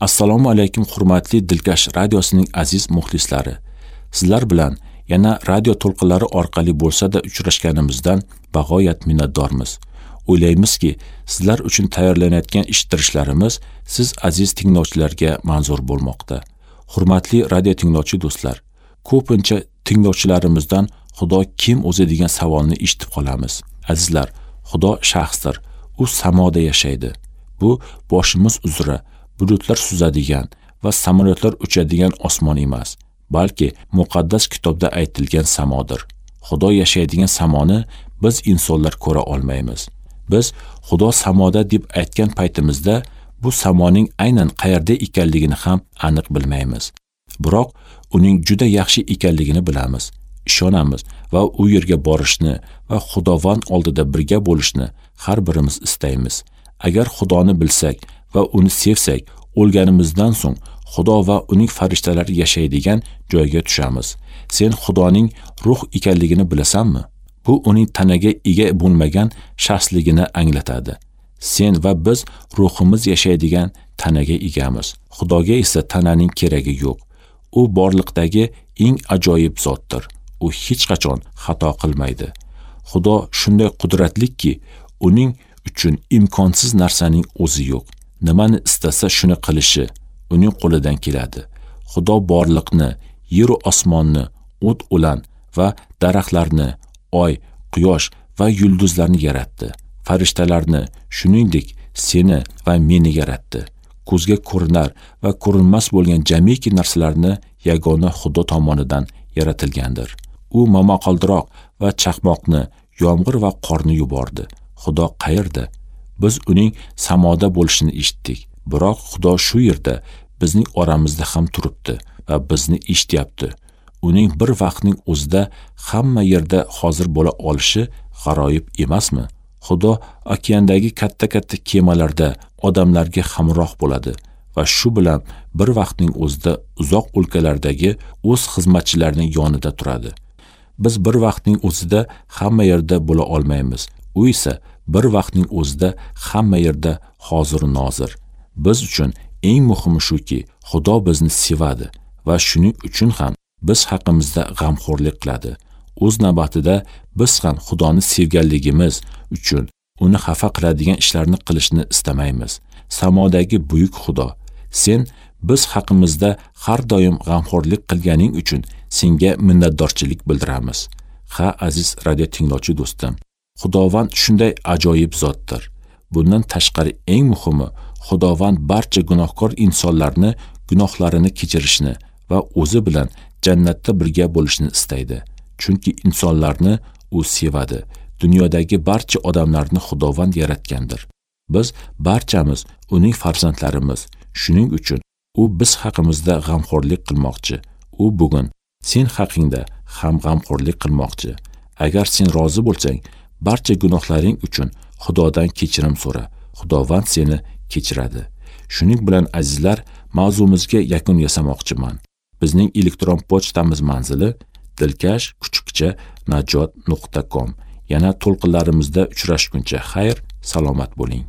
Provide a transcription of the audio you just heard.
Assalomu alaykum hurmatli Dilkash radiosining aziz muxlislari. Sizlar bilan yana radio to'lqinlari orqali bo'lsa-da uchrashganimizdan bag'oyat minnatdormiz. O'ylaymizki, sizlar uchun tayyorlanayotgan eshittirishlarimiz siz aziz tinglovchilarga manzur bo'lmoqda. Hurmatli radio tinglovchi do'stlar, ko'pincha tinglovchilarimizdan Xudo kim o'zi degan savolni eshitib qolamiz. Azizlar, Xudo shaxsdir. U samoda yashaydi. Bu boshimiz uzra bulutlar suzadigan va samolyotlar uchadigan osmon emas, balki muqaddas kitobda aytilgan samodir. Xudo yashaydigan samoni biz insonlar ko'ra olmaymiz. Biz Xudo samoda deb aytgan paytimizda bu samoning aynan qayerda ekanligini ham aniq bilmaymiz. Biroq uning juda yaxshi ekanligini bilamiz, ishonamiz va u yerga borishni va Xudovand oldida birga bo'lishni har birimiz istaymiz. Agar Xudoni bilsak va uni sevsak, o'lganimizdan so'ng Xudo va uning farishtalari yashaydigan joyga tushamiz. Sen Xudoning ruh ekanligini bilasanmi? Bu uning tanaga ega bo'lmagan shaxsligini anglatadi. Sen va biz ruhimiz yashaydigan tanaga egamiz. Xudoga esa tananing keragi yo'q. U borliqdagi eng ajoyib zotdir. U hech qachon xato qilmaydi. Xudo shunday qudratlikki, uning uchun imkonsiz narsaning o'zi yo'q. Nimani istasa shuni qilishi uning qo'lidan keladi. Xudo borliqni, yer va osmonni, o't o'lan va daraxtlarni, oy, quyosh va yulduzlarni yaratdi. Farishtalarni, shuningdek, seni va meni yaratdi. Ko'zga ko'rinar va ko'rinmas bo'lgan jamiki narsalarni yagona Xudo tomonidan yaratilgandir. U momaqaldiroq va chaqmoqni, yomg'ir va qorni yubordi. Xudo qayerda? Biz uning samoda bo'lishini eshitdik. Biroq Xudo shu yerda bizning oramizda ham turibdi va bizni eshityapti. Uning bir vaqtning o'zida hamma yerda hozir bo'la olishi g'aroyib emasmi? Xudo okeandagi katta-katta kemalarda odamlarga hamroh bo'ladi va shu bilan bir vaqtning o'zida uzoq o'lkalardagi o'z xizmatchilarining yonida turadi. Biz bir vaqtning o'zida hamma yerda bo'la olmaymiz. U esa bir vaqtning o'zida hamma yerda hozir nozir. Biz uchun eng muhimi shuki, Xudo bizni sevadi va shuning uchun ham biz haqimizda g'amxo'rlik qiladi. O'z navbatida biz ham Xudoni sevganligimiz uchun uni xafa qiladigan ishlarni qilishni istamaymiz. Samodagi buyuk Xudo, sen biz haqimizda har doim g'amxo'rlik qilganing uchun senga minnatdorchilik bildiramiz. Ha, aziz radio tinglovchi do'stim, Xudovand shunday ajoyib zotdir. Bundan tashqari eng muhimi, Xudovand barcha gunohkor insonlarni gunohlarini kechirishni va o'zi bilan jannatda birga bo'lishni istaydi. Chunki insonlarni u sevadi. Dunyodagi barcha odamlarni Xudovand yaratgandir. Biz barchamiz uning farzandlarimiz. Shuning uchun u biz haqimizda g'amxo'rlik qilmoqchi. U bugun sen haqingda ham g'amxo'rlik qilmoqchi. Agar sen rozi bo'lsang, barcha gunohlaring uchun Xudodan kechirim so'ra. Xudovand seni kechiradi. Shuning bilan azizlar, mavzumizga yakun yasamoqchiman. Bizning elektron pochtamiz manzili dilkash@najot.com. Yana to'lqinlarimizda uchrashguncha xayr, salomat bo'ling.